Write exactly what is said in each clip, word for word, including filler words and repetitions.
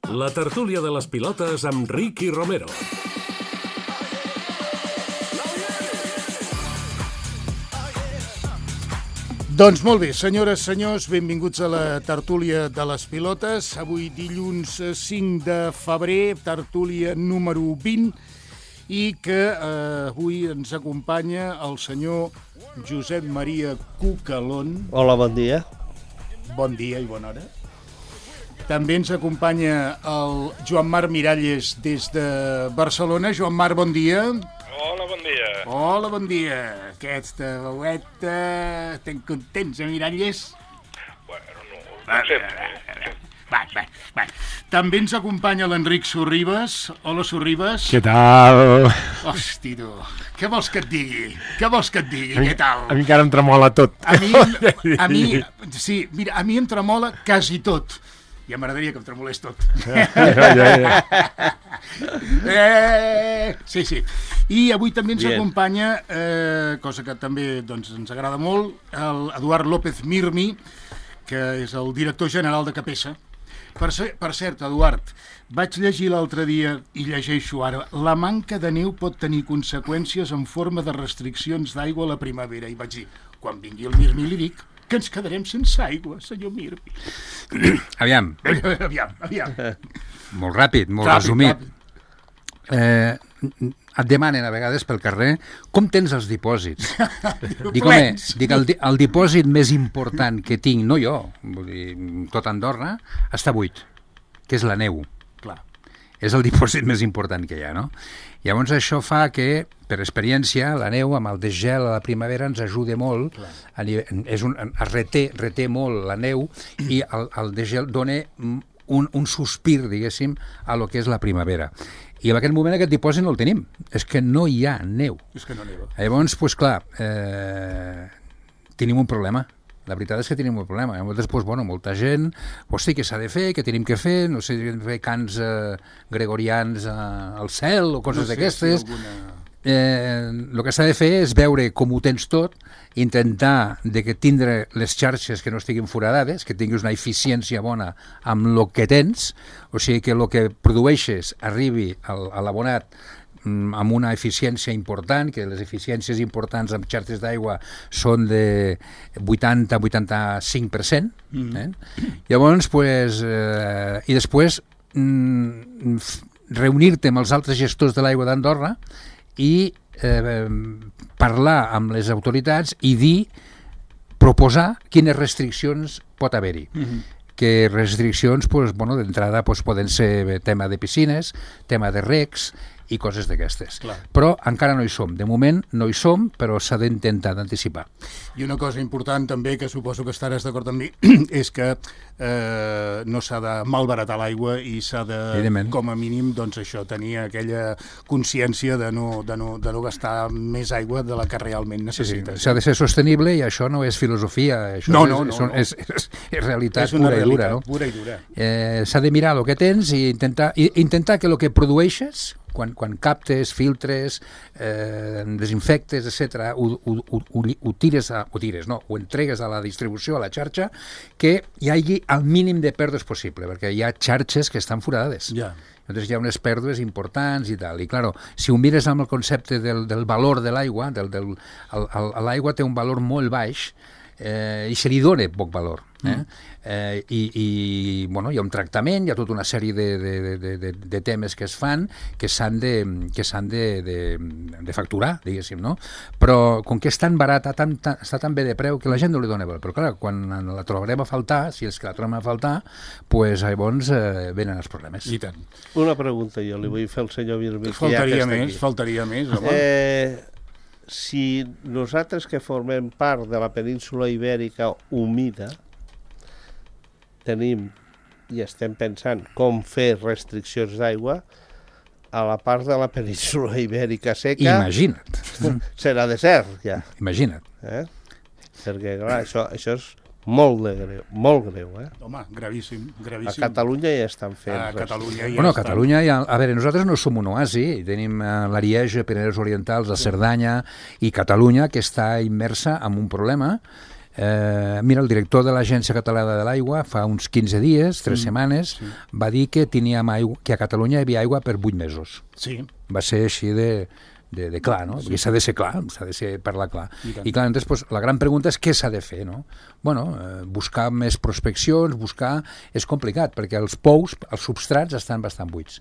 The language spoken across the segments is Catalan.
La tertúlia de les pilotes amb Ricky Romero. Doncs molt bé, senyores, senyors, benvinguts a la tertúlia de les pilotes. Avui dilluns cinc de febrer, tertúlia número vint, i que eh, avui ens acompanya el senyor Josep Maria Cucalón. Hola, bon dia. Bon dia i bona hora. També ens acompanya el Joan Marc Miralles des de Barcelona. Joan Marc, bon dia. Hola, bon dia. Hola, bon dia. Aquesta veueta... Estem contents, eh, Miralles? Bueno, no, no sempre. Va, va, va. També ens acompanya l'Enric Sorribes. Hola, Sorribes. Què tal? Hosti, tu. Què vols que et digui? Què vols que et digui? A mi, Què tal? A mi encara em tremola tot. A mi, a mi, sí, mira, a mi em tremola quasi tot. Ja m'agradaria que em tremolés tot. Ja, ja, ja. Eh, sí, sí. I avui també ens Bien. acompanya, eh, cosa que també doncs, ens agrada molt, el Eduard López Mirmi, que és el director general de Capesa. Per, ser, per cert, Eduard, vaig llegir l'altre dia, i llegeixo ara, la manca de neu pot tenir conseqüències en forma de restriccions d'aigua a la primavera. I vaig dir, quan vingui el Mirmi li dic que ens quedarem sense aigua, senyor Mirmi. Aviam, Aviam, aviam. molt ràpid, molt Ràpid, resumit. ràpid. Eh, et demanen a vegades pel carrer com tens els dipòsits. Dic, home, Plens. dic, el, di- el dipòsit més important que tinc, no jo, vull dir, tot Andorra, està buit, que és la neu. Clar. És el dipòsit més important que hi ha, no? Llavors això fa que, per experiència, la neu amb el desgel a la primavera ens ajuda molt, a nivell, és un, es reté, reté molt la neu i el, el desgel dona un, un sospir, diguéssim, a lo que és la primavera. I en aquest moment aquest dipòsit no el tenim, és que no hi ha neu. És que no neva. Llavors, doncs clar, eh, tenim un problema. La veritat és que tenim un problema. Llavors, doncs, bueno, molta gent, hosti, què s'ha de fer, què tenim que fer, no sé, fer cants eh, gregorians eh, al cel o coses No sé d'aquestes. si alguna... Eh, el que s'ha de fer és veure com ho tens tot, intentar de que tindre les xarxes que no estiguin foradades, que tinguis una eficiència bona amb el que tens, o sigui que el que produeixes arribi al, a l'abonat amb una eficiència important, que les eficiències importants amb xarxes d'aigua són de vuitanta a vuitanta-cinc per cent. Eh? Llavors, pues, eh, i després mm, reunir-te amb els altres gestors de l'aigua d'Andorra i eh, parlar amb les autoritats i dir, proposar quines restriccions pot haver-hi. Mhm. Que restriccions, pues, bueno, d'entrada pues, poden ser tema de piscines, tema de recs i coses d'aquestes. Clar. Però encara no hi som. De moment no hi som, però s'ha d'intentar d'anticipar. I una cosa important també, que suposo que estaràs d'acord amb mi, és que eh, no s'ha de malbaratar l'aigua i s'ha de, Evidentment. com a mínim, doncs això, tenir aquella consciència de no, de no, de no gastar més aigua de la que realment Sí, sí. necessites. S'ha de ser sostenible i això no és filosofia, això No, és, no, no, són- no. És, és, és realitat És una pura i dura. realitat No? pura i dura. Eh, s'ha de mirar el que tens i intentar, i intentar que el que produeixes, quan, quan captes, filtres, eh, desinfectes, etcètera, ho, ho, ho, ho, ho tires, a, ho tires, no, ho entregues a la distribució, a la xarxa, que hi hagi el mínim de pèrdues possible, perquè hi ha xarxes que estan foradades. Ja. Llavors hi ha unes pèrdues importants i tal. I, claro, si ho mires amb el concepte del, del valor de l'aigua, del, del, el, el, l'aigua té un valor molt baix, eh, i se li dona poc valor. Eh? Mm. Eh, i, i bueno, hi ha un tractament, hi ha tota una sèrie de, de, de, de, de temes que es fan que s'han de, que s'han de, de, de facturar, diguéssim, no? Però com que és tan barata, tan, tan, està tan bé de preu que la gent no li dona valor. Però clar, quan la trobarem a faltar, si és que la trobem a faltar, pues, llavors eh, venen els problemes. I tant. Una pregunta jo li vull fer al senyor Mirmi. que ja que Faltaria està més, aquí. faltaria més, home. Eh, si nosaltres que formem part de la península ibèrica humida tenim i estem pensant com fer restriccions d'aigua, a la part de la península ibèrica seca Imagina't, serà desert ja. imagina't. Eh? Perquè clar, això, això és molt de greu, molt greu. Eh? Home, gravíssim, A gravíssim. Catalunya ja estan fent. A Catalunya ja Bueno, a estan. Catalunya, hi ha, a veure, nosaltres no som un oasi, tenim eh, l'Arieja, Pirineus Orientals, la Cerdanya i Catalunya, que està immersa en un problema Eh, mira, el director de l'Agència Catalana de l'Aigua fa uns quinze dies, tres mm, setmanes, sí. va dir que teníem aigua, que a Catalunya hi havia aigua per vuit mesos. Sí. Va ser així de, de, de clar, no? Sí. Perquè s'ha de ser clar, s'ha de ser parlar clar. I, I clar, entonces, pues, la gran pregunta és què s'ha de fer, no? Bueno, eh, buscar més prospeccions, buscar... És complicat, perquè els pous, els substrats estan bastant buits.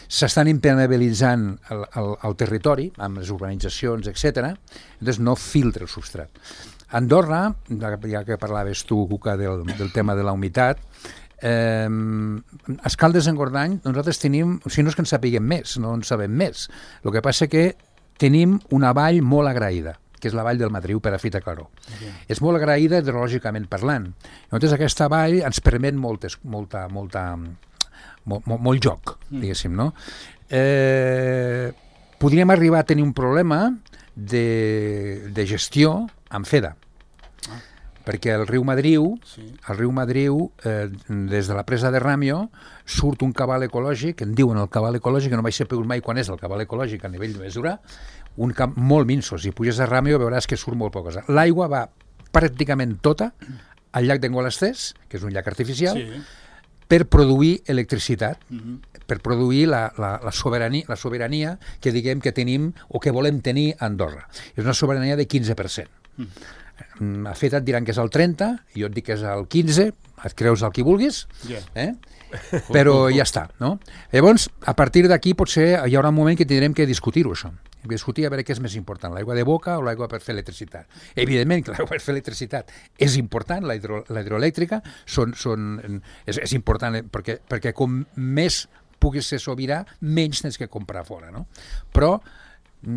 S'estan impermeabilitzant el, el, el territori, amb les urbanitzacions, etcètera. Entonces no filtra el substrat. Andorra, ja que parlaves tu, Cuca, del, del tema de la humitat, eh, a Escaldes en Gordany nosaltres tenim, o sigui, no és que en sapiguem més, no en sabem més. El que passa que tenim una vall molt agraïda, que és la vall del Madriu per a Fita Claró. Okay. És molt agraïda hidrològicament parlant. Llavors aquesta vall ens permet moltes, molta, molta, molt, molt, molt joc, diguéssim, no? Eh, podríem arribar a tenir un problema de, de gestió amb F E D A. Ah. Perquè el riu Madriu, sí. el riu Madriu eh, des de la presa de Ràmio surt un cabal ecològic, en diuen el cabal ecològic, que no vaig saber mai quan és el cabal ecològic a nivell de mesura, un camp molt minso. Si puges a Ràmio veuràs que surt molt poca cosa. L'aigua va pràcticament tota al llac d'Engolasters, que és un llac artificial, sí. per produir electricitat, uh-huh. per produir la, la, la, sobirania, la sobirania que diguem que tenim o que volem tenir a Andorra. És una sobirania de quinze per cent. Mm. A F E D A et diran que és el trenta, jo et dic que és el quinze, et creus el que vulguis, yeah. eh? però ja està, no? Llavors, a partir d'aquí potser hi haurà un moment que tindrem que discutir-ho, això. Discutir a veure què és més important, l'aigua de boca o l'aigua per fer electricitat. Evidentment que l'aigua per fer electricitat és important, la, hidro, la hidroelèctrica són, són, és, és important perquè, perquè com més puguis ser sobirà, menys tens que comprar fora, no? Però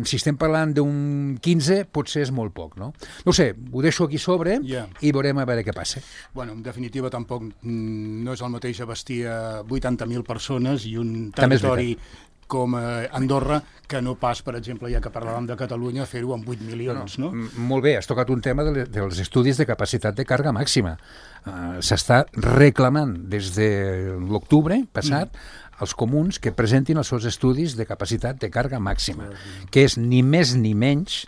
si estem parlant d'un quinze, potser és molt poc, no? No sé, ho deixo aquí sobre yeah. i veurem a veure què passa. Bueno, en definitiva, tampoc no és el mateix abastir a vuitanta mil persones i un territori com Andorra, que no pas, per exemple, ja que parlàvem de Catalunya, fer-ho amb vuit milions, no? no? Molt bé, has tocat un tema de, dels estudis de capacitat de càrrega màxima. Uh, S'està reclamant des de l'octubre passat mm. els comuns que presentin els seus estudis de capacitat de càrrega màxima, mm. que és ni més ni menys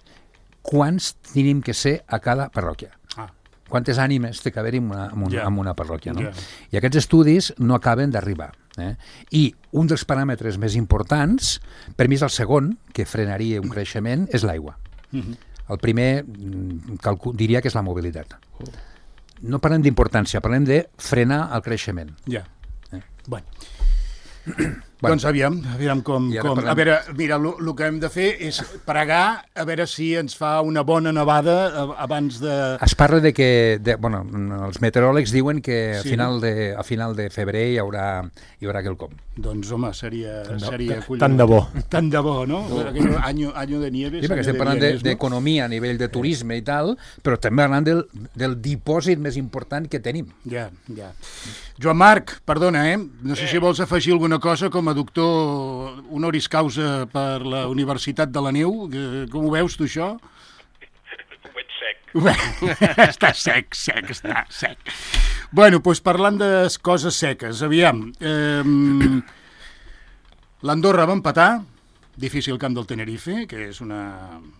quants tenim que ser a cada parròquia. Ah. Quantes ànimes té que haver-hi en una, en una, yeah. en una parròquia, no? Yeah. I aquests estudis no acaben d'arribar. Eh? I un dels paràmetres més importants, per mi és el segon, que frenaria un creixement, és l'aigua. Mm-hmm. El primer, calcul, diria que és la mobilitat. Oh. No parlem d'importància, parlem de frenar el creixement. Ja. Yeah. Eh? Bueno. Bueno. Doncs aviam, aviam com... com... A veure, mira, el que hem de fer és pregar a veure si ens fa una bona nevada abans de... Es parla de que... De, bueno, els meteoròlegs diuen que sí. a, final de, a final de febrer hi haurà, hi haurà quelcom. Doncs, home, seria... Tant de, seria tant de bo. Tant de bo, no? Oh. Año, año de nieves. Sí, perquè estem parlant d'economia de, a nivell de turisme i tal, però també parlant del, del dipòsit més important que tenim. Ja, ja. Joan Marc, perdona, eh? No sé si vols afegir alguna cosa com a doctor honoris causa per la Universitat de la Neu. Com ho veus, tu, això? Ho veig sec. Està sec, sec, està sec. Bueno, doncs parlant de coses seques, aviam. Eh, L'Andorra va empatar, difícil camp del Tenerife, que és, una,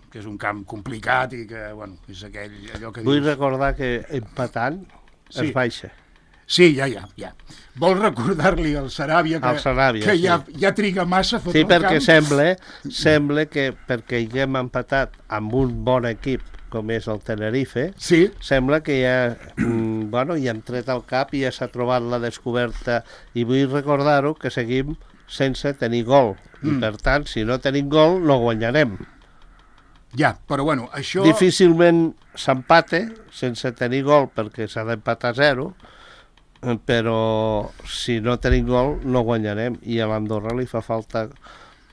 que és un camp complicat i que, bueno, és aquell, allò que dius... Vull recordar que empatant sí. es baixa. Sí, ja, ja, ja. Vols recordar-li al Saràbia que, al Saràbia, que sí. ja, ja triga massa a fotre sí, el camp? Sí, perquè sembla, sembla que perquè haguem empatat amb un bon equip com és el Tenerife, sí. sembla que ja, mm, bueno, ja hem tret el cap i ja s'ha trobat la descoberta i vull recordar-ho que seguim sense tenir gol mm. i per tant, si no tenim gol, no guanyarem. Ja, però bueno, això... Difícilment s'empate sense tenir gol perquè s'ha d'empatar a zero, però si no tenim gol no guanyarem i a l'Andorra li fa falta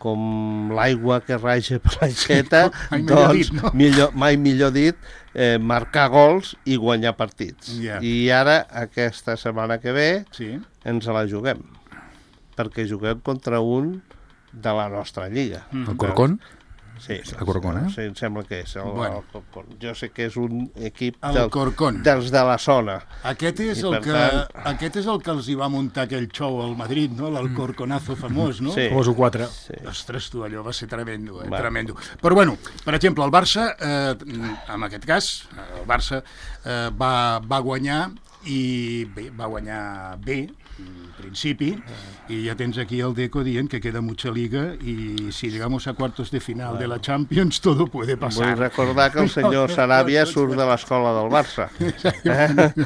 com l'aigua que raja per l'aixeta mai doncs dit, no? millor, mai millor dit eh, marcar gols i guanyar partits yeah. i ara aquesta setmana que ve sí. ens la juguem perquè juguem contra un de la nostra lliga. Mm. El Corcón? Sí, El Corcón, eh? Sí, em sembla que és el, Bueno. el Corcón. Jo sé que és un equip El del, Corcón. dels de la zona. Aquest és, I el per que, tant- aquest és el que els hi va muntar aquell show al Madrid, no? L'Alcorconazo famós, no? Sí. Famoso quatre. Sí. Ostres, tu, allò va ser tremendo, eh? Va. Tremendo. Però, bueno, per exemple, el Barça, eh, en aquest cas, el Barça eh, va, va guanyar i bé, va guanyar bé, en principi, i ja tens aquí el Deco dient que queda mucha liga y si llegamos a cuartos de final de la Champions todo puede pasar. Vull recordar que el senyor Saràbia surt de l'escola del Barça. Eh?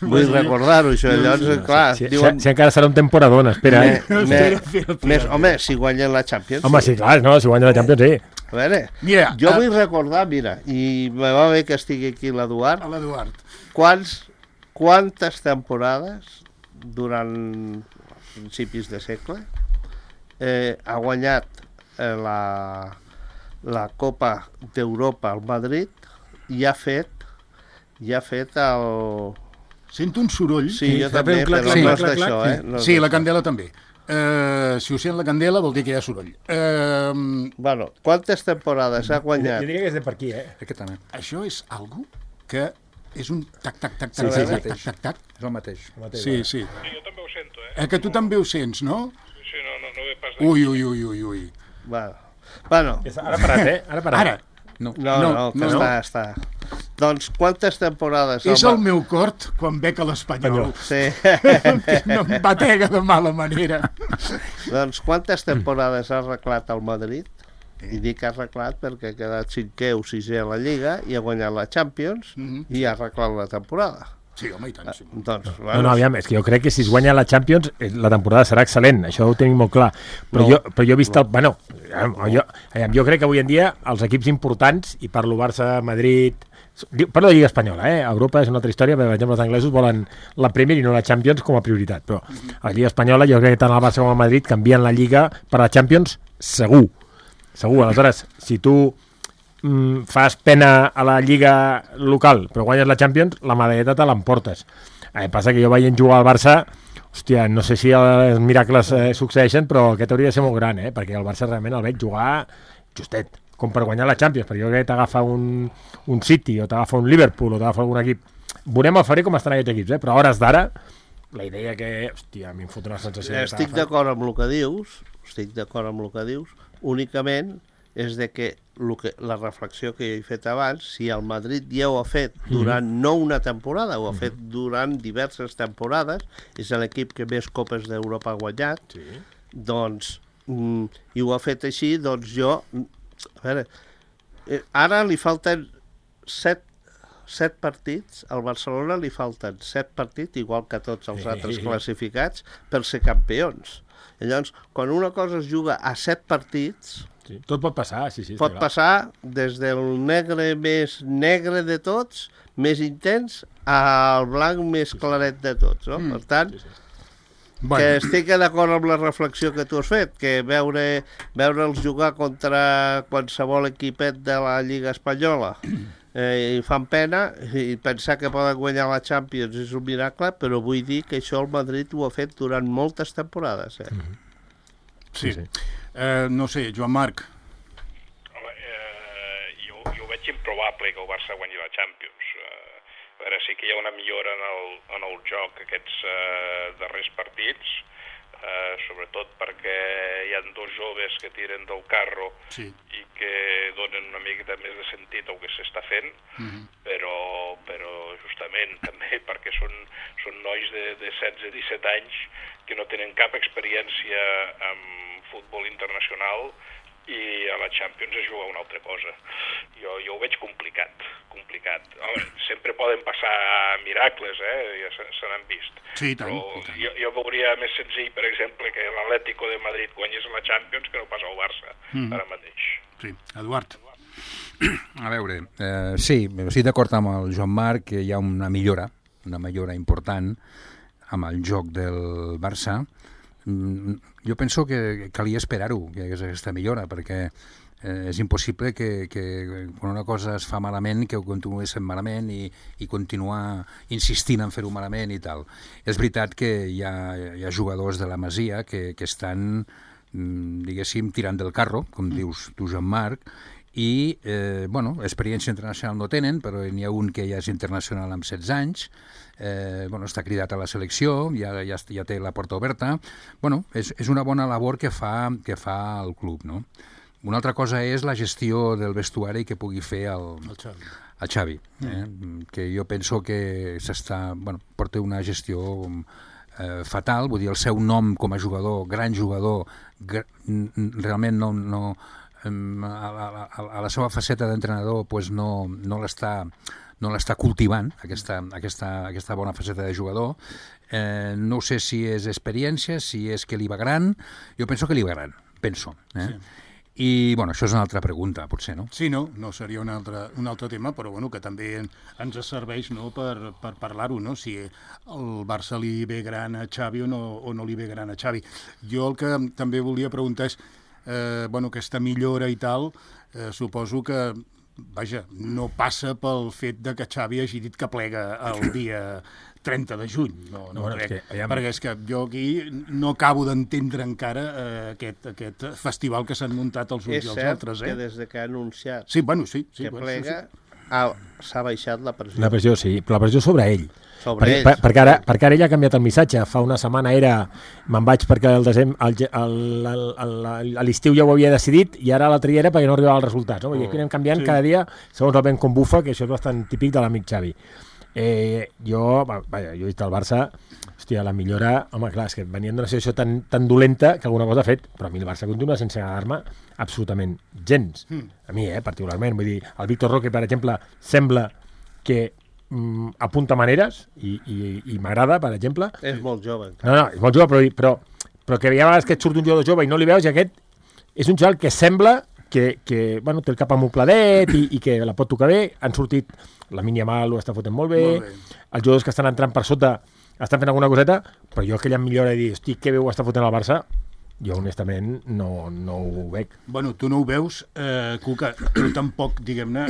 Vull recordar-ho, això. Llavors, clar, Si, si, diuen... si encara serà un temporadón, espera. Me, Eh? me, Espera, espera, espera. més, home, si guanyen la Champions... Home, sí, clar, no, si guanya la Champions, sí. A veure, Mira, jo a- vull recordar, mira, i me va bé que estigui aquí l'Eduard, A l'Eduard. quants, quantes temporades durant principis de segle eh, ha guanyat eh, la, la Copa d'Europa al Madrid i ha fet i ha fet el... Sento un soroll. Sí, jo fa també, un clac, però clac, no és clac, d'això, clac, eh? No és Sí, la d'això. candela també. Uh, si ho sent la candela vol dir que hi ha soroll. Uh, Bueno, quantes temporades ha Jo guanyat? diria que és de per aquí, eh? Aquest també. això és algo que és un tac, tac, tac, Sí, tac, sí, tac, sí. tac, tac, tac, tac. És el mateix. Sí, sí. Sí, jo també ho sento, eh? Eh, que tu també ho sents, no? Sí, sí, no, no, no ve pas d'aquí. Ui, ui, ui, ui, ui. Bueno, bueno Ara ha parat, eh? Ara ha parat. Ara, No. no, no, no, que no. està, està. Doncs quantes temporades... és Ma- el meu cort quan bec a l'Espanyol. Sí. Que no em batega de mala manera. Doncs quantes temporades ha arreglat el Madrid? I dic arreglat perquè ha quedat cinquè o sisè a la Lliga i ha guanyat la Champions Mhm. i ha arreglat la temporada. Sí, home, i tant. Sí. Doncs, No, no, aviam, és que jo crec que si es guanya la Champions eh, la temporada serà excel·lent, això ho tenim molt clar. Però, No. jo, però jo he vist el... Bueno, aviam, jo, aviam, jo crec que avui en dia els equips importants, i parlo Barça, Madrid... diu- Parlo de Lliga Espanyola, eh? Europa és una altra història, perquè, per exemple, els anglesos volen la Premier i no la Champions com a prioritat, però a la Lliga Espanyola jo crec que tant el Barça com el Madrid canvien la Lliga per la Champions segur. Segur, aleshores, si tu mm, fas pena a la lliga local però guanyes la Champions, la medalleta te l'emportes. Eh, passa que jo veient jugar al Barça, hòstia, no sé si els miracles eh, succeeixen, però aquest hauria de ser molt gran, eh? Perquè el Barça realment el veig jugar justet, com per guanyar la Champions, perquè jo crec que t'agafa un, un City o t'agafa un Liverpool o t'agafa algun equip. Veurem al febrer com estan aquests equips, eh? Però a hores d'ara, la idea que, hòstia, a mi em fot una sensació... que Estic t'agafa. d'acord amb el que dius, estic d'acord amb el que dius, únicament és de que, lo que la reflexió que he fet abans, si el Madrid ja ho ha fet durant no una temporada, ho ha fet durant diverses temporades, és l'equip que més Copes d'Europa ha guanyat, Sí. doncs, mm, i ho ha fet així, doncs jo, a veure, eh, ara li falten set, set partits, al Barcelona li falten set partits, igual que tots els altres classificats, per ser campions. I llavors, quan una cosa es juga a set partits, Sí. Tot pot passar, sí, sí. està pot clar. passar des del negre més negre de tots, més intens, al blanc més claret de tots, no? Per tant, Sí, sí. que Bueno, estic d'acord amb la reflexió que tu has fet, que veure veure'ls jugar contra qualsevol equipet de la Lliga Espanyola eh, i fan pena, i pensar que poden guanyar la Champions és un miracle, però vull dir que això el Madrid ho ha fet durant moltes temporades. Eh? sí. sí. Eh, no sé, Joan Marc. Home, eh, jo, jo veig improbable que el Barça guanyi la Champions. Eh, a veure, sí que hi ha una millora en el, en el joc aquests eh, darrers partits, eh, sobretot perquè hi ha dos joves que tiren del carro Sí. i que donen una miqueta més de sentit al que s'està fent, Mhm. però, però justament també perquè són, són nois de, de setze disset anys que no tenen cap experiència amb futbol internacional i a la Champions es juga una altra cosa. Jo, jo ho veig complicat, complicat. Home, sempre poden passar miracles, eh? Ja se, se n'han vist. Sí, i tant, Però i tant. jo, jo veuria més senzill, per exemple, que l'Atlético de Madrid guanyés la Champions que no pas el Barça, Mm. ara mateix. Sí, Eduard. A veure, eh, sí, estic d'acord amb el Joan Marc que hi ha una millora, una millora important amb el joc del Barça. Mm, jo penso que calia esperar-ho, que hi hagués aquesta millora, perquè eh, és impossible que, que quan una cosa es fa malament, que ho continuï sent malament i, i continuar insistint en fer-ho malament i tal. És veritat que hi ha, hi ha jugadors de la Masia que, que estan diguéssim, tirant del carro, com dius tu, Jean-Marc, i, eh, bueno, experiència internacional no tenen, però n'hi ha un que ja és internacional amb setze anys, eh, bueno, està cridat a la selecció, ja, ja, ja té la porta oberta. Bueno, és, és una bona labor que fa, que fa el club, no? Una altra cosa és la gestió del vestuari que pugui fer el, El Xavi. el Xavi, eh? mm. que jo penso que s'està, bueno, porta una gestió eh, fatal, vull dir, el seu nom com a jugador, gran jugador, gr realment no, no, a, a, a la seva faceta d'entrenador pues no, no l'està no l'està cultivant, aquesta, aquesta, aquesta bona faceta de jugador. Eh, no sé si és experiència, si és que li va gran. Jo penso que li va gran, penso. Eh? Sí. I, bueno, això és una altra pregunta, potser, no? Sí, no, no seria un altre, un altre tema, però bueno, que també ens serveix, no, per, per parlar-ho, no? Si el Barça li ve gran a Xavi o no, o no li ve gran a Xavi. Jo el que també volia preguntar és, eh, bueno, aquesta millora i tal, eh, suposo que, vaja, no passa pel fet de que Xavi hagi dit que plega el dia trenta de juny, no, no bueno, crec, és que, ja... perquè és que jo aquí no acabo d'entendre encara eh, aquest, aquest festival que s'han muntat els uns i els altres. És cert que des de que ha anunciat sí, bueno, sí, sí, que bueno, plega sí, sí. s'ha baixat la pressió. La pressió, sí, però la pressió sobre ell. Sobre per, ells. per, perquè, ara, perquè ara ell ha canviat el missatge. Fa una setmana era me'n vaig perquè el desem, el, el, el, el, a l'estiu ja ho havia decidit i ara a l'altre dia era perquè no arribava els resultats. No? I aquí anem canviant sí. cada dia segons el vent com bufa, que això és bastant típic de l'amic Xavi. Eh, jo, vaja, jo he dit al Barça, hòstia, la millora, home, clar, és que venien d'una situació tan, tan dolenta que alguna cosa ha fet, però a mi el Barça continua sense agradar-me absolutament gens. Mm. A mi, eh, particularment. Vull dir, el Víctor Roque, per exemple, sembla que mm, apunta maneres i, i, i m'agrada, per exemple. És molt jove. No, no, és molt jove, però, però, però que hi ha vegades que et surt un jugador jove i no li veus i aquest és un xaval que sembla que, que bueno, té el cap amopladet i, i que la pot tocar bé. Han sortit, la Yamal ho està fotent molt bé, molt bé. Els jugadors que estan entrant per sota estan fent alguna coseta, però jo aquella millora de dir, hosti, que bé ho està fotent el Barça, jo honestament no, no ho veig. Bueno, tu no ho veus, eh, Cuca, tu tampoc, diguem-ne,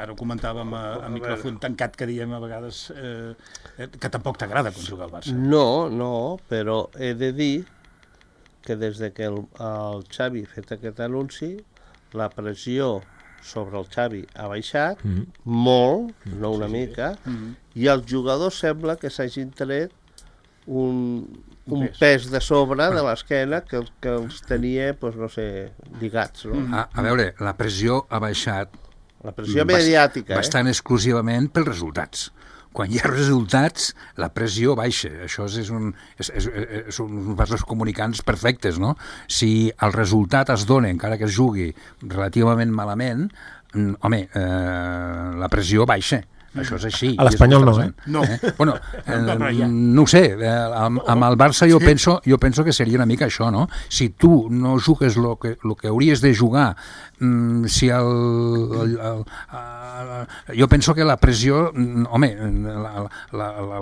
ara ho comentàvem a, a micròfon tancat que diem a vegades, eh, que tampoc t'agrada quan juga al Barça. No, no, però he de dir que des de que el, el Xavi ha fet aquest anunci, la pressió sobre el Xavi ha baixat mm -hmm. molt, no una sí, mica, sí. Mm -hmm. i els jugadors sembla que s'hagin tret un, un pes. pes de sobre de l'esquena que, que els tenia, doncs, no sé, lligats. No? Mm -hmm. a, a veure, la pressió ha baixat la pressió mediàtica, bastant eh? exclusivament pels resultats. Quan hi ha resultats, la pressió baixa. Això és un, és, és, és, són uns vasos comunicants perfectes, no? Si el resultat es dona, encara que es jugui relativament malament, home, eh, la pressió baixa. Això és així. A l'Espanyol no, eh? No. Eh? Bueno, eh, no ho sé, eh, amb, amb el Barça jo, sí. penso, jo penso que seria una mica això, no? Si tu no jugues el que, lo que hauries de jugar, mm, si el, el, el, el... Jo penso que la pressió, home,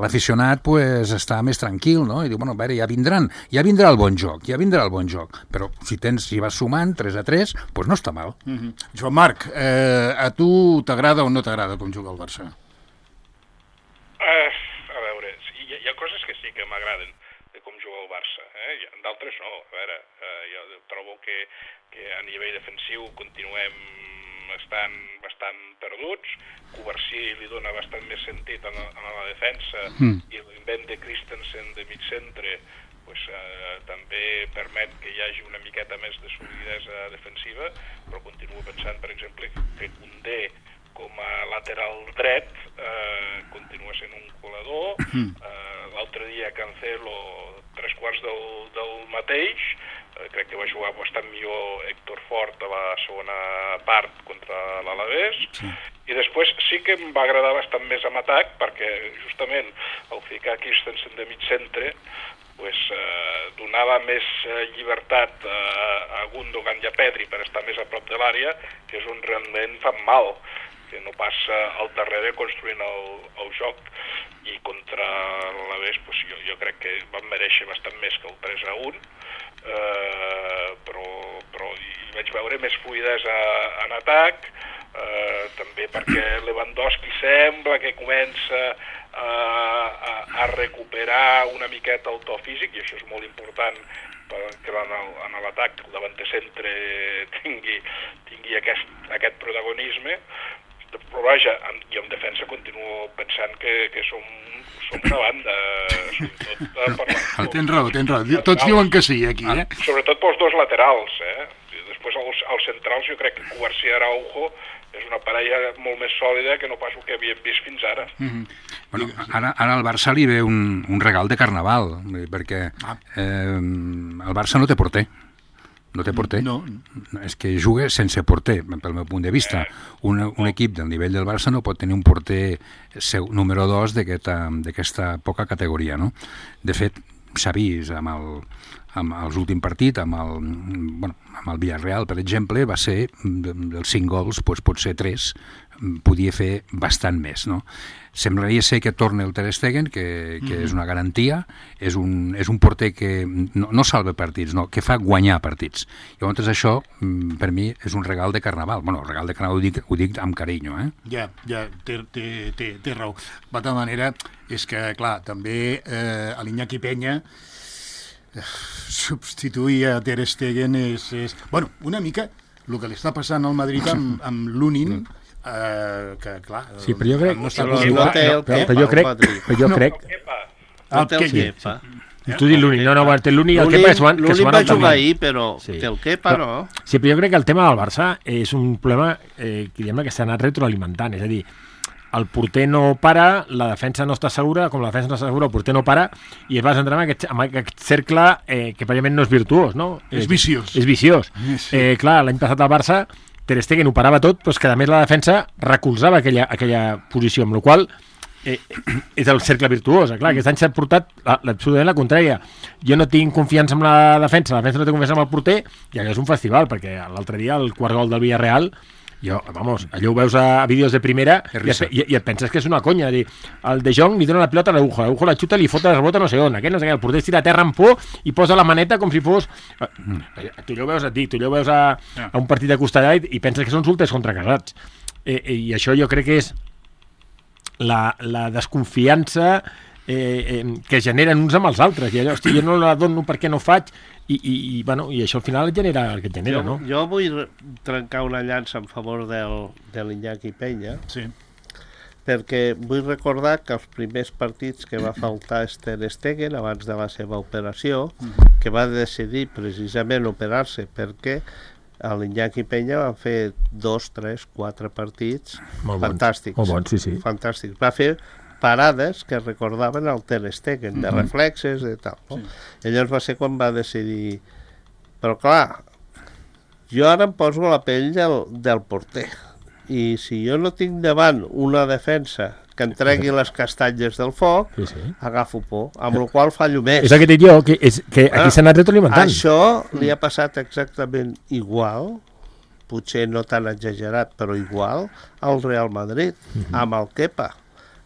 l'aficionat pues, està més tranquil, no? I diu, bueno, a veure, ja vindran, ja vindrà el bon joc, ja vindrà el bon joc. Però si tens, si vas sumant tres a tres, pues no està mal. Mm-hmm. Joan Marc, eh, a tu t'agrada o no t'agrada com juga el Barça? Uh, a veure, hi ha, hi ha coses que sí que m'agraden de com juga el Barça, eh? D'altres no. A veure, uh, jo trobo que, que a nivell defensiu continuem estant bastant perduts. Covarsí li dona bastant més sentit a la, a la defensa mm. i l'invent de Christensen de mig centre pues, uh, també permet que hi hagi una miqueta més de solidesa defensiva, però continuo pensant, per exemple, que Koundé com a lateral dret eh, continua sent un colador. Mm. Eh, l'altre dia Cancelo tres quarts del, del mateix, eh, crec que va jugar bastant millor Héctor Fort a la segona part contra l'Alavés, sí. I després sí que em va agradar bastant més amb atac perquè justament al ficar Christensen de mig centre pues, eh, donava més eh, llibertat eh, a Gundogan i a Pedri per estar més a prop de l'àrea, que és on realment fan mal, que no passa al darrere construint el, el joc, i contra l'Alavés pues, jo, jo crec que van mereixer bastant més que el tres a un, eh, però, però hi vaig veure més fluïdesa en atac, eh, també perquè Lewandowski sembla que comença a, a, a recuperar una miqueta el to físic, i això és molt important perquè en l'atac el davanter centre tingui, tingui aquest, aquest protagonisme, però vaja, i en defensa continuo pensant que, que som, som una banda, sobretot per la... Tens raó, tens raó, tots diuen que sí aquí, eh? Sobretot pels dos laterals, eh? Després als, als centrals jo crec que Cubarsí i Araujo és una parella molt més sòlida que no pas el que havíem vist fins ara. Mm-hmm. Bueno, ara, ara al Barça li ve un, un regal de carnaval, perquè eh, el Barça no té porter. No té porter. No. És que juga sense porter, pel meu punt de vista. Un, un equip del nivell del Barça no pot tenir un porter seu, número dos d'aquesta poca categoria, no? De fet, s'ha vist amb el, amb els últims partits, amb el, bueno, amb el Villarreal, per exemple, va ser, dels cinc gols, doncs potser tres, podia fer bastant més, no? Semblaria ser que torna el Ter Stegen, que, que mm-hmm. és una garantia, és un, és un porter que no, no salva partits, no, que fa guanyar partits. Llavors això, per mi, és un regal de carnaval. Bueno, el regal de carnaval ho dic, ho dic amb carinyo, eh? Ja, ja, té, té, té, té raó. De tota manera, és que, clar, també eh, a l'Iñaki Peña eh, substituir a Ter Stegen és, és... Bueno, una mica el que li està passant al Madrid amb, amb l'Unin, Uh, que clar, sí, però jo crec no està no, no té el Kepa, però jo crec, però jo crec no té el Kepa. Tu dius l'Uni, no, no, té l'Uni i el Kepa que s'ho van l'Uni va jugar ahir, però sí. Té el Kepa, no? Sí, però jo crec que el tema del Barça és un problema eh, que, que s'ha anat retroalimentant, és a dir, el porter no para, la defensa no està segura, com la defensa no està segura, el porter no para, i es va centrar en aquest, en aquest cercle eh, que prèviament no és virtuós, no? És viciós. És viciós. Sí. Eh, clar, l'any passat al Barça Ter Stegen ho parava tot, però és que a més la defensa recolzava aquella, aquella posició, amb la qual eh, és el cercle virtuós. Clar, aquest any s'ha portat absolutament la contrària. Jo no tinc confiança en la defensa, la defensa no té confiança en el porter, i allò és un festival, perquè l'altre dia el quart gol del Villarreal, jo, vamos, allò ho veus a vídeos de primera i et, i, i et penses que és una conya. Dir, el De Jong li dona la pilota a l'Araujo, l'Araujo la xuta, li fota la rebota no sé on, aquest no sé què, el porter es tira a terra amb por i posa la maneta com si fos... Tu allò ho veus, et dic, tu allò ho veus a, a un partit de costallà i, i penses que són solters contra casats. Eh, eh, I això jo crec que és la, la desconfiança eh, eh, que generen uns amb els altres. I allò, hosti, jo no la dono perquè no faig, i, i, i, bueno, i això al final et genera el que et genera, jo, no? Jo vull trencar una llança en favor del, de l'Iñaki Peña, sí. Perquè vull recordar que els primers partits que va faltar Ter Stegen abans de la seva operació, mm-hmm. que va decidir precisament operar-se perquè a l'Iñaki Peña va fer dos, tres, quatre partits molt fantàstics. Molt bons, sí, sí. Fantàstics. Va fer parades que recordaven el Ter Stegen, de reflexes, de tal. No? Sí. Llavors va ser quan va decidir... Però clar, jo ara em poso la pell del, del porter. I si jo no tinc davant una defensa que em tregui les castanyes del foc, sí, sí. agafo por, amb la qual fallo més. És el que dic jo, que, és, que aquí ah, s'ha anat retroalimentant. Això li ha passat exactament igual, potser no tan exagerat, però igual, al Real Madrid, uh-huh. amb el Kepa.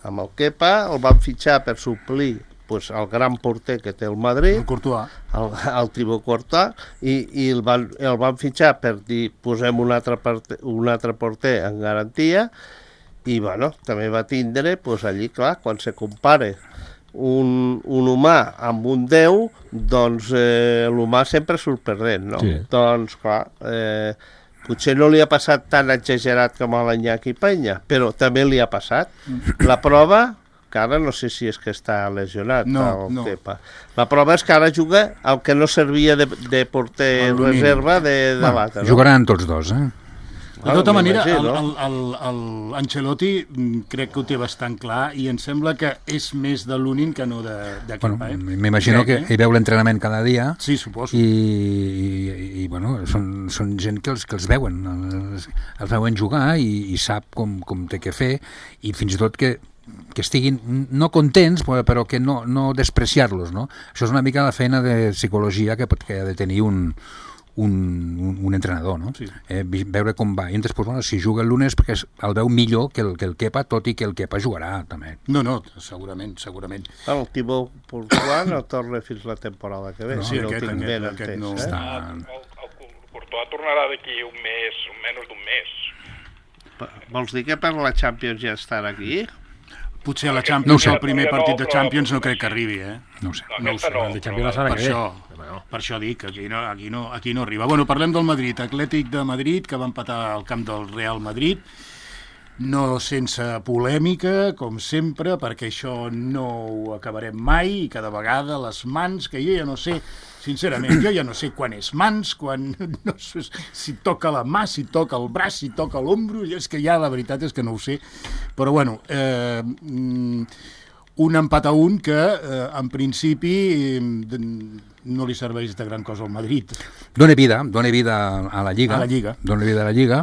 Amb el Kepa el van fitxar per suplir pues, el gran porter que té el Madrid, el Courtois, el, el Thibaut Courtois, i, i el, van, el van fitxar per dir posem un altre, porter, un altre porter en garantia, i bueno, també va tindre pues, allí, clar, quan se compare un, un humà amb un déu, doncs eh, l'humà sempre surt perdent, no? Sí. Doncs clar, eh, potser no li ha passat tan exagerat com a l'Iñaki Peña, però també li ha passat. La prova, que ara no sé si és que està lesionat no, el no. Kepa. La prova és que ara juga el que no servia de, de porter el reserva de, de bueno, l'altre. No? Jugaran tots dos, eh? De tota manera, el, el, el, el Ancelotti crec que ho té bastant clar i em sembla que és més de l'Unin que no de, de Kepa. Bueno, eh? M'imagino que hi veu l'entrenament cada dia. Sí, suposo. I, i, i bueno, són, són gent que els, que els veuen, els, els veuen jugar i, i sap com, com té que fer, i fins i tot que que estiguin no contents, però que no, no despreciar-los, no? Això és una mica la feina de psicologia que, pot, que ha de tenir un, un, un, un entrenador, no? Sí. Eh, veure com va. I després, bueno, si juga el lunes, perquè el veu millor que el, que el Kepa, tot i que el Kepa jugarà, també. No, no, segurament, segurament. El Thibaut Courtois no torna fins la temporada que ve, no, si no aquest, tinc ben entès. No. Eh? Està... El, el Courtois tornarà d'aquí un mes, menys d'un mes. Vols dir que per la Champions ja estan aquí? Potser a la Aquest- Champions, No ho sé. el primer no, partit de però- Champions no crec que arribi, eh? No ho sé. No, No ho aquesta sé, no, el de Champions però- la setmana Per que ve. això, Bueno. per això dic que aquí no, aquí, no, aquí no arriba. Bueno, parlem del Madrid, Atlètic de Madrid, que va empatar al camp del Real Madrid, no sense polèmica, com sempre, perquè això no ho acabarem mai, i cada vegada les mans, que jo ja no sé, sincerament, jo ja no sé quan és mans, quan no sé si toca la mà, si toca el braç, si toca l'ombro, és que ja la veritat és que no ho sé, però bueno, eh, un empat a un que eh, en principi eh, no li serveix de gran cosa al Madrid. Dóna vida, dóna vida a la Lliga. A la Lliga. Dóna vida a la Lliga.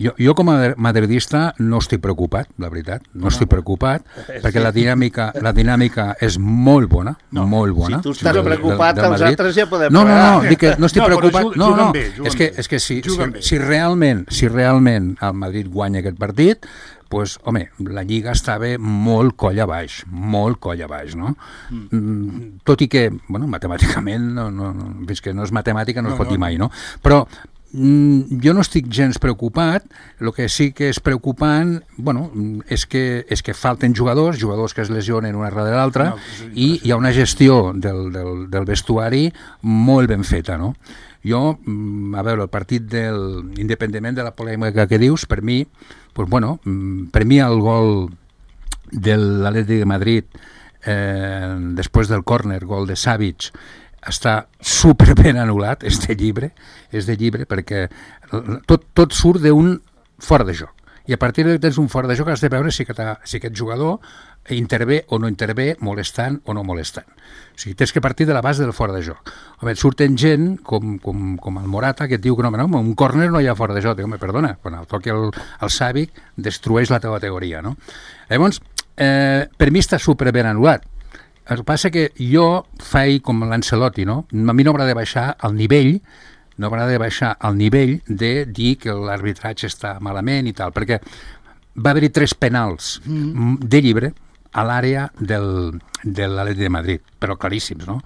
Jo, jo com a madridista no estic preocupat, la veritat, no estic preocupat, perquè la dinàmica, la dinàmica és molt bona, No, molt bona. si tu estàs del- preocupat, del els Madrid. altres ja podem No, no, pagar. no, dic que no estic No, però preocupat. juguen- No, juguen no, bé, juguen és que, bé. és que si, Juguen si, bé. si, realment, si realment el Madrid guanya aquest partit, pues, home, la Lliga estava molt coll a baix, molt coll a baix, no? Mm. Tot i que, bueno, matemàticament, no, no, no, fins que no és matemàtica no, no es pot No, dir no. mai, no? Però mm, jo no estic gens preocupat, el que sí que és preocupant, bueno, és que, és que falten jugadors, jugadors que es lesionen una darrere l'altra, No, és i hi ha una gestió del, del, del vestuari molt ben feta, no? Jo, mm, a veure, el partit del, independentment de la polèmica que dius, per mi, pues bueno, mm, per mi el gol de l'Atlètic de Madrid eh, després del córner, gol de Savic, està super ben anul·lat, és de llibre, és de llibre perquè tot, tot surt d'un fora de joc. I a partir de que tens un fora de joc has de veure si, que si aquest jugador intervé o no intervé, molestant o no molestant. O sigui, tens que partir de la base del fora de joc. Home, surten gent com, com, com el Morata que et diu que no, no, un córner no hi ha fora de joc. Dic, home, perdona, quan el toqui el, el Savic destrueix la teva categoria, no? Llavors, eh, per mi està super ben anul·lat. El que passa que jo faig com l'Ancelotti, no? A mi no m'agrada baixar el nivell, no m'agrada baixar el nivell de dir que l'arbitratge està malament i tal, perquè va haver-hi tres penals mm. de llibre a l'àrea del, de l'Atlètic de Madrid, però claríssims, no?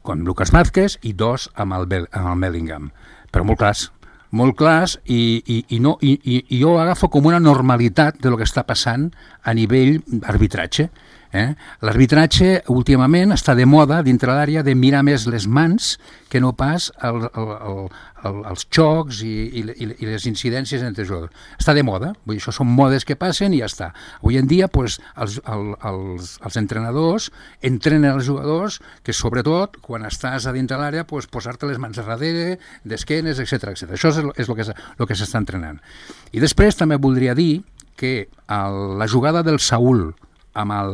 Com Lucas Vázquez i dos amb el, Bel, amb el Bellingham, però molt clars, molt clars i, i, i, no, i, i, i jo agafo com una normalitat de lo que està passant a nivell arbitratge. Eh? L'arbitratge últimament està de moda dintre l'àrea de mirar més les mans que no pas el, el, el, el, els xocs i, i, i les incidències entre jugadors. Està de moda, vull dir, això són modes que passen i ja està. Avui en dia pues, els, el, els, els entrenadors entrenen els jugadors que sobretot quan estàs a dintre l'àrea pues, posar-te les mans a darrere, d'esquenes, etcètera etcètera. Això és el, és el que, el que s'està entrenant. I després també voldria dir que el, la jugada del Saúl amb el,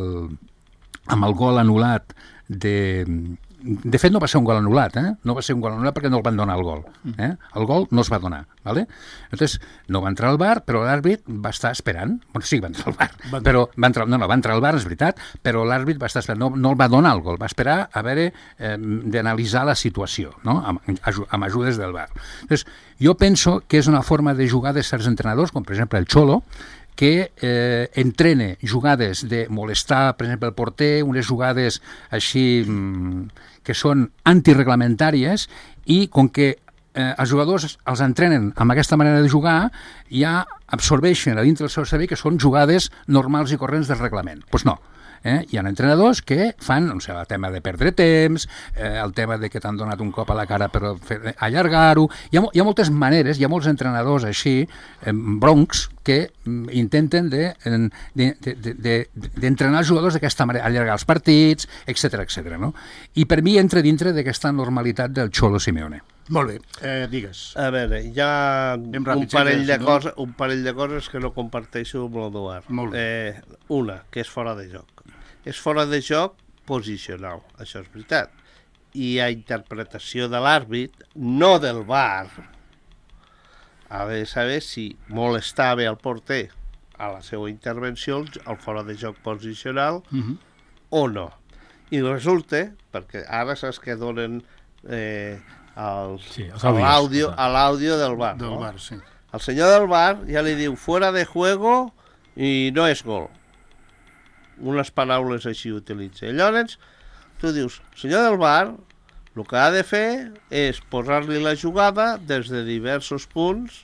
amb el gol anul·lat de... De fet, no va ser un gol anul·lat, eh? No va ser un gol anul·lat perquè no el van donar el gol. Eh? El gol no es va donar, ¿vale? Entonces, no va entrar al V A R, però l'àrbit va estar esperant. Bueno, sí, va entrar al V A R, va però va entrar, no, no, va entrar al V A R, és veritat, però l'àrbit va estar esperant, no, no el va donar el gol, va esperar a veure eh, d'analitzar la situació, no? Amb, amb ajudes del V A R. Entonces, jo penso que és una forma de jugar de certs entrenadors, com per exemple el Cholo, que eh, entrene jugades de molestar, per exemple, el porter, unes jugades així mm, que són antireglamentàries i com que eh, els jugadors els entrenen amb aquesta manera de jugar, ja absorbeixen a dintre del seu cervell que són jugades normals i corrents del reglament. Doncs pues no. Eh? Hi ha entrenadors que fan no sé, el tema de perdre temps, eh, el tema de que t'han donat un cop a la cara per fer, allargar-ho. Hi ha, hi ha moltes maneres, hi ha molts entrenadors així, eh, broncs, que mm, intenten d'entrenar de, de, de, de, de, de els jugadors d'aquesta manera, allargar els partits, etcètera etcètera. No? I per mi entra dintre d'aquesta normalitat del Cholo Simeone. Molt bé, eh, digues. A veure, hi ha Ràpid, un, parell sí, de no? coses, un parell de coses que no comparteixo amb l'Eduard. Molt bé. Eh, una, que és fora de joc. És fora de joc posicional, això és veritat. I hi ha interpretació de l'àrbit, no del V A R. Ha de saber si molestava el porter a la seva intervenció, el fora de joc posicional, Uh -huh. o no. I resulta, perquè ara saps que donen eh, els, Sí, els a àudios. l'àudio a l'àudio del V A R. Del no? V A R, sí. El senyor del V A R ja li diu fuera de juego i no és gol. Unes paraules així utilitza. I llavors tu dius, senyor del V A R, el que ha de fer és posar-li la jugada des de diversos punts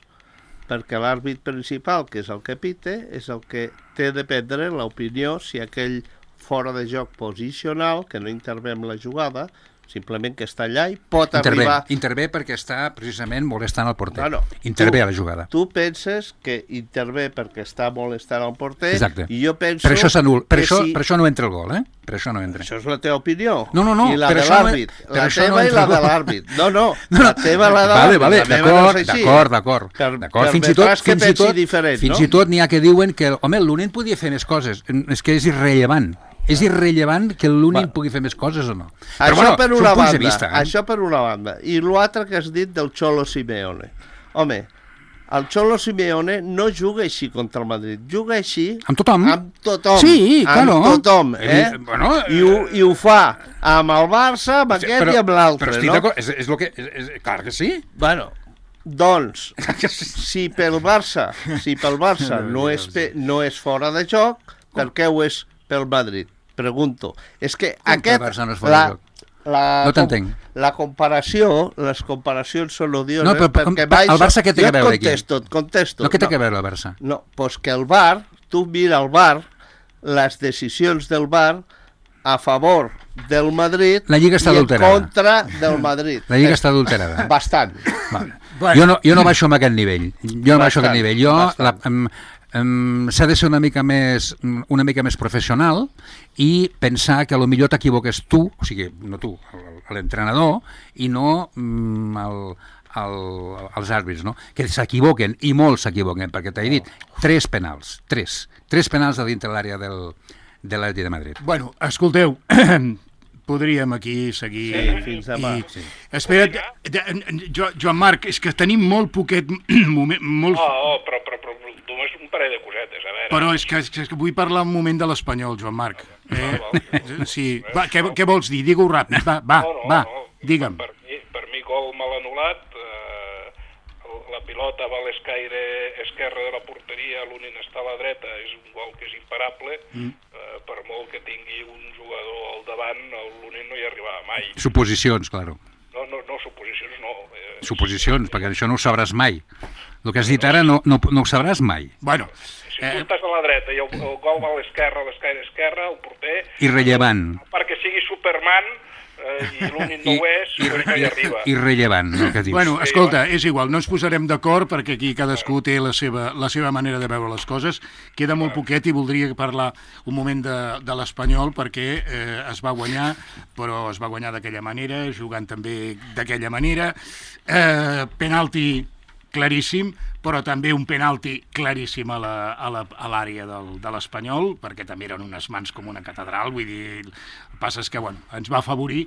perquè l'àrbit principal, que és el que pite, és el que té de prendre l'opinió si aquell fora de joc posicional, que no intervé en la jugada, simplement que està allà i pot intervé, arribar... Intervé perquè està precisament molestant el porter. Bueno, intervé tu, a la jugada. Tu penses que intervé perquè està molestant el porter. Exacte. I jo penso... Per això, per, això, si... per això no entra el gol, eh? Per això no entra. Això és la teva opinió. No, no, no. I la per de això l'àrbit. No, la això teva no i la de l'àrbit. No, no, no, la teva i la de l'àrbit. Vale, vale, d'acord, d'acord, d'acord. Per, d'acord. per Fins i tot, que fins i tot, diferent, fins no? i tot n'hi ha que diuen que, home, l'Unen podia fer més coses. És que és irrellevant. És irrellevant que l'Unin pugui fer més coses o no. Això Però, bueno, per una són punts banda, de vista. Eh? Això per una banda. I l'altre que has dit del Cholo Simeone. Home, el Cholo Simeone no juga així contra el Madrid, juga així... Amb tothom? Amb tothom. Sí, claro. Amb tothom, eh? Bueno, I, ho, I ho fa amb el Barça, amb aquest però, i amb l'altre, però estic no? d'acord, és, és, lo que, és, és, clar que sí. Bueno, doncs, si pel Barça, si pel Barça no és, pe, no és fora de joc, per què ho és pel Madrid? Pregunto. És que Com aquest... que el Barça no és fora de joc? La, no t'entenc. La comparació, les comparacions són odioses, no, però, perquè com, el Barça què té jo que veure et contesto, aquí? Et contesto. No, què té no. que veure el Barça? No, doncs que el V A R, tu mira el V A R, les decisions del V A R a favor del Madrid la Lliga està i en adulterada. contra del Madrid. La Lliga està adulterada. Bastant. Vale. Bueno. Jo, no, jo no baixo amb aquest nivell. Jo no baixo amb aquest nivell. Jo, la, um, um, s'ha de ser una mica més una mica més professional i pensar que a lo millor t'equivoques tu, o sigui, no tu, l'entrenador, i no um, el, el, els àrbits, no? Que s'equivoquen, i molts s'equivoquen, perquè t'he dit, tres penals, tres, tres penals de dintre l'àrea del, de l'Atlètic de Madrid. Bueno, escolteu, podríem aquí seguir... Sí, fins demà. I... Sí. Espera't, jo, Joan Marc, és que tenim molt poquet moment... Molt... Oh, oh, però, però, però només un parell de cosetes, a veure. Però és que, és que vull parlar un moment de l'Espanyol, Joan Marc. Eh? Sí, va, què, què vols dir? Digue-ho ràpid, va, va, no, no, va, no. digue'm. Per mi, per mi gol mal anul·lat, eh, la pilota va a l'escaire esquerre de la porteria, l'Unin està a la dreta, és un gol que és imparable, mm. eh, per molt que tingui un jugador al davant, l'Unin no hi arribava mai. Suposicions, claro. No, no, no, suposicions no. Eh, Suposicions, perquè això no ho sabràs mai. El que has dit ara no, no, no ho sabràs mai. Bueno, si tu estàs a la dreta i el, el gol va a l'esquerra, a l'escaire esquerra, el porter... Irrellevant. Perquè sigui Superman, eh, i l'únic no ho és, però no hi arriba. Irrellevant, el que dius. Bueno, escolta, és igual, no ens posarem d'acord perquè aquí cadascú té la seva, la seva manera de veure les coses. Queda molt poquet i voldria parlar un moment de, de l'Espanyol perquè eh, es va guanyar, però es va guanyar d'aquella manera, jugant també d'aquella manera. Eh, penalti claríssim, però també un penalti claríssim a l'àrea de l'Espanyol, perquè també eren unes mans com una catedral, vull dir, el que passa és que bueno, ens va afavorir,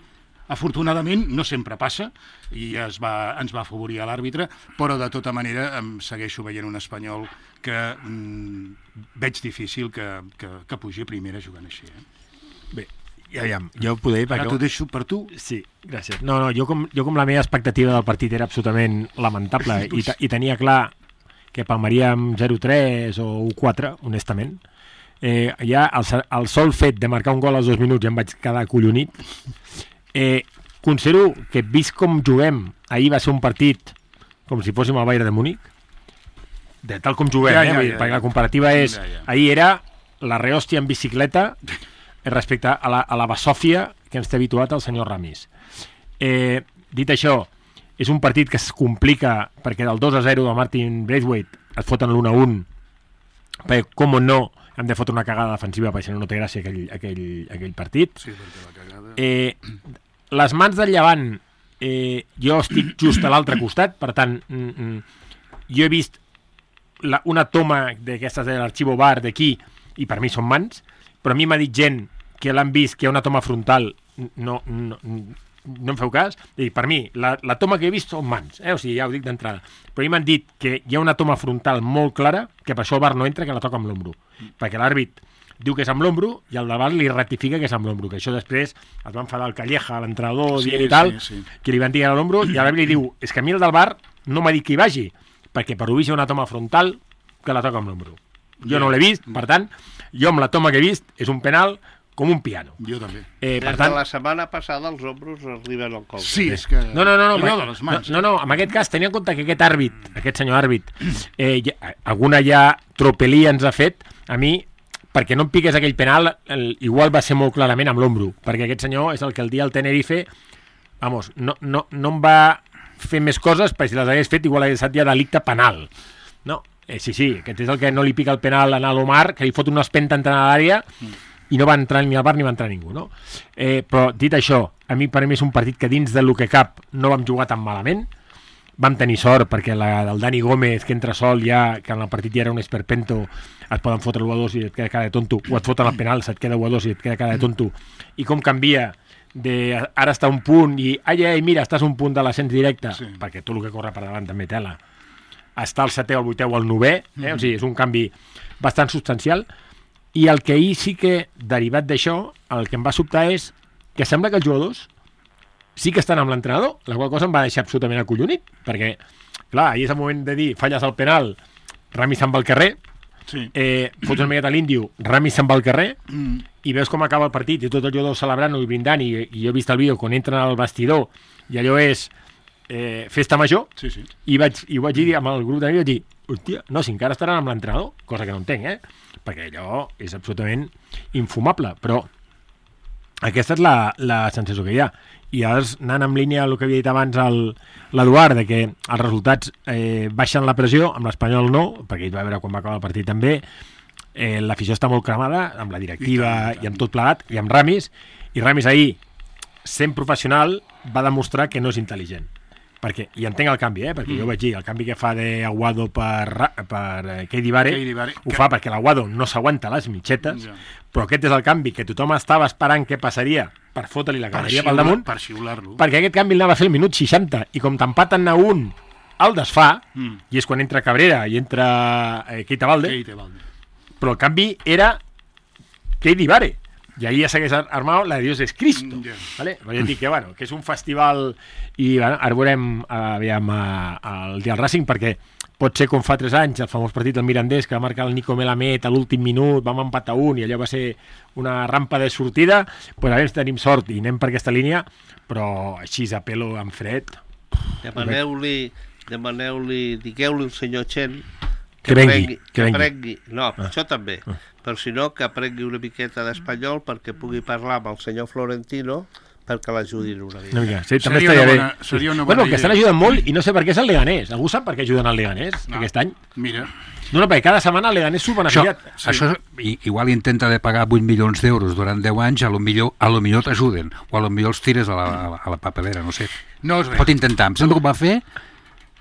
afortunadament, no sempre passa, i es va, ens va afavorir a l'àrbitre, però de tota manera em segueixo veient un Espanyol que mm, veig difícil que, que, que pugi a primera jugant així. Eh? Bé, ja, ja, jo poder... Ara t'ho deixo per tu. Sí, gràcies. No, no, jo com, jo com la meva expectativa del partit era absolutament lamentable i, i tenia clar que palmaríem zero tres o u quatre, honestament. Eh, ja el, el sol fet de marcar un gol als dos minuts ja em vaig quedar acollonit. Eh, considero que vist com juguem, ahir va ser un partit com si fóssim al Bayern de Múnich, de tal com juguem, ja, ja, eh? Ja, ja, perquè la comparativa és... Ja, ja. Ahir era la rehòstia en bicicleta respecte a la, a la basòfia que ens té habituat el senyor Ramis. Eh, dit això, és un partit que es complica perquè del dos a zero de Martin Braithwaite es foten l'un a un, perquè com o no hem de fotre una cagada defensiva perquè si no no té gràcia aquell, aquell, aquell partit. Sí, perquè la cagada... Eh, les mans del Llevant, eh, jo estic just a l'altre costat, per tant, mm, mm, jo he vist la, una toma d'aquestes de l'arxivo bar d'aquí i per mi són mans, però a mi m'ha dit gent que l'han vist, que hi ha una toma frontal, no, no, no em feu cas, i per mi, la, la toma que he vist són mans, eh? O sigui, ja ho dic d'entrada, però a mi m'han dit que hi ha una toma frontal molt clara, que per això el bar no entra, que la toca amb l'ombro, perquè l'àrbit diu que és amb l'ombro i el davant li ratifica que és amb l'ombro, que això després es va enfadar el Calleja, l'entrenador, sí, i tal, sí, sí. Que li van dir a l'ombro, i l'àrbit li diu, és que a mi el del bar no m'ha dit que hi vagi, perquè per ho vist hi ha una toma frontal que la toca amb l'ombro. Jo no l'he vist, per tant, jo amb la toma que he vist és un penal com un piano. Jo també. Eh, Des per tant, de la setmana passada els ombros arriben al colze. Sí, és que... No, no, no, no, Allò ma- de les mans. no, no, no, en aquest cas tenia en compte que aquest àrbit, aquest senyor àrbit, eh, ja, alguna ja tropelía ens ha fet, a mi, perquè no em piqués aquell penal, el, igual va ser molt clarament amb l'ombro, perquè aquest senyor és el que el dia al Tenerife, vamos, no, no, no em va fer més coses, perquè si les hagués fet igual hagués estat ja delicte penal. No, eh, sí, sí, aquest és el que no li pica el penal a l'Omar, que li fot una espenta entrant a l'àrea, i no va entrar ni al bar ni va entrar ningú, no? Eh, però, dit això, a mi per mi és un partit que dins del que cap no vam jugar tan malament, vam tenir sort perquè la del Dani Gómez, que entra sol ja, que en el partit ja era un esperpento, et poden fotre l'u a dos i et queda cara de tonto, o et foten el penal, se't queda u a dos i et queda cara de tonto, i com canvia de ara està un punt i, ai, ai, mira, estàs un punt de l'ascens directe, sí. perquè tot el que corre per davant també tela, està al setè, al vuitè o al novè, eh? Mm-hmm. O sigui, és un canvi bastant substancial. I el que ahir sí que, derivat d'això, el que em va sobtar és que sembla que els jugadors sí que estan amb l'entrenador, la qual cosa em va deixar absolutament acollonit, perquè, clar, ahir és el moment de dir, falles al penal, Rami se'n va al carrer, sí. eh, fots una miqueta a l'índio, Rami se'n va al carrer, mm. i veus com acaba el partit, i tot el jugador celebrant-ho i brindant, i, i jo he vist el vídeo quan entren al vestidor, i allò és eh, festa major, sí, sí. I, vaig, i ho vaig dir amb el grup d'amics, vaig dir, hòstia, no, si encara estaran amb l'entrenador, cosa que no entenc, eh? Perquè allò és absolutament infumable, però aquesta és la, la sensació que hi ha. I llavors, anant en línia amb el que havia dit abans l'Eduard, de que els resultats eh, baixen la pressió, amb l'Espanyol no, perquè ell va veure quan va acabar el partit també, eh, l'afició està molt cremada, amb la directiva i, tant, i, tant. i amb tot plegat, i amb Ramis, i Ramis ahir, sent professional, va demostrar que no és intel·ligent. Perquè, i entenc el canvi, eh? perquè mm. jo vaig dir, el canvi que fa d'Aguado per, per eh, Keidi Bare, ho que... fa perquè l'Aguado no s'aguanta les mitxetes, ja. Però aquest és el canvi que tothom estava esperant què passaria per fotre-li la caderia pel damunt, per xiular-lo. Perquè aquest canvi l'anava a fer el minut seixanta, i com t'empaten a un, el desfà, mm. i és quan entra Cabrera i entra eh, Keita Balde, però el canvi era Keidi Bare. I ahir ja s'hagués armat la de Dios es Cristo, yeah. ¿Vale? Però ja et dic que, bueno, que és un festival i bueno, ara veurem aviam, el dia del Racing, perquè pot ser com fa tres anys el famós partit del Mirandés que va marcar el Nico Melamed a l'últim minut, vam empatar un i allò va ser una rampa de sortida, pues a veure si tenim sort i anem per aquesta línia, però així a pelo en fred. Demaneu-li, demaneu-li, digueu-li al senyor Chen que, que vengui, que vengui. vengui. No, ah. això també. Ah. Però si no, que aprengui una miqueta d'espanyol perquè pugui parlar amb el senyor Florentino perquè l'ajudin una mica. No, mica. Sí, també estaria bé. Bona, seria una bona bueno, idea. Que estan ajudant molt i no sé per què és el Leganés. Algú sap per què ajuden al Leganés no. aquest any? Mira. No, no, perquè cada setmana el Leganés s'ho beneficiat. Això, sí. això igual intenta de pagar vuit milions d'euros durant deu anys, a lo millor, a lo millor t'ajuden, o a lo millor els tires a la, a la papelera, no sé. No és Pot intentar. Em sembla que ho va fer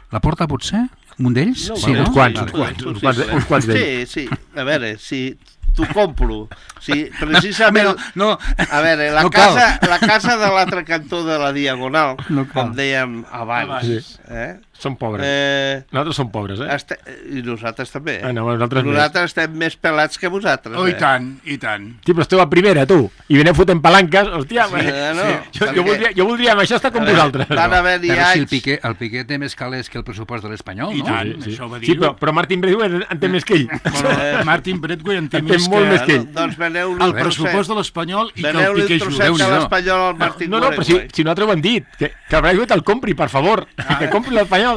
la Porta, potser? Un d'ells? No, sí, no? Uns quants, uns quants, uns quants, uns quants d'ells. Sí, sí. A veure, si... t'ho compro. Sí, precisament... No, no, a veure, la, no casa, la casa de l'altre cantó de la Diagonal, no com dèiem abans, sí. eh? Som pobres. Eh, nosaltres som pobres, eh? Este... I nosaltres també. Ah, no, nosaltres nosaltres més. Estem més pelats que vosaltres. Oh, eh? i tant, i tant. Sí, però esteu a primera, tu. I veneu fotent palanques. Hòstia, sí, eh, no, sí. Jo, jo, voldria, jo voldria amb això estar com veure, vosaltres. Van haver-hi però anys... si el Piqué, el Piqué té més calés que el pressupost de l'Espanyol, no? I tant, sí, això ho va dir. Sí, però, però Martin Braithwaite en té més que ell. Però, eh, Martin Braithwaite en té més que, més que ell. Doncs veneu el pressupost de l'Espanyol i que el Piqué jugui. Veneu-li el trosset de l'Espanyol al Martin No, no, però si, si nosaltres ho hem dit, que, que Braithwaite el compri, per favor, que compri l'Espanyol.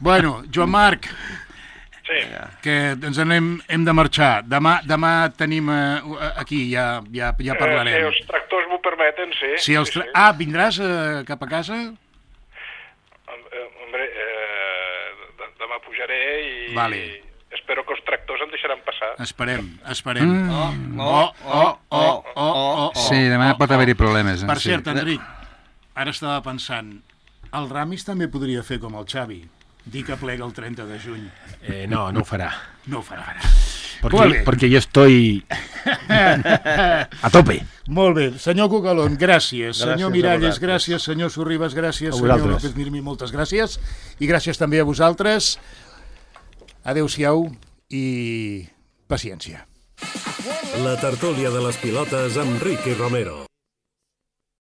Bueno, Joan Marc, sí. que ens anem, hem de marxar. Demà, demà tenim uh, aquí, ja, ja, ja parlarem. Eh, si els tractors m'ho permeten, sí. Si els tra... sí, sí. Ah, vindràs uh, cap a casa? Hombre, eh, demà pujaré i... Vale. Espero que els tractors em deixaran passar. Esperem, esperem. Mm. Oh, oh, oh, oh, oh, oh, oh. Sí, demà oh, pot haver-hi problemes. Per sí. cert, Enric, ara estava pensant, el Ramis també podria fer com el Xavi, dir que plega el trenta de juny. Eh, no, no ho farà. No ho farà. Porque, porque yo estoy a tope. Molt bé. Senyor Cucalón, gràcies. gràcies senyor Miralles, gràcies. Senyor Sorribas, gràcies. Senyor López Mirmi, moltes gràcies. I gràcies també a vosaltres. Adéu-siau i paciència. La tertúlia de les pilotes amb Ricky Romero.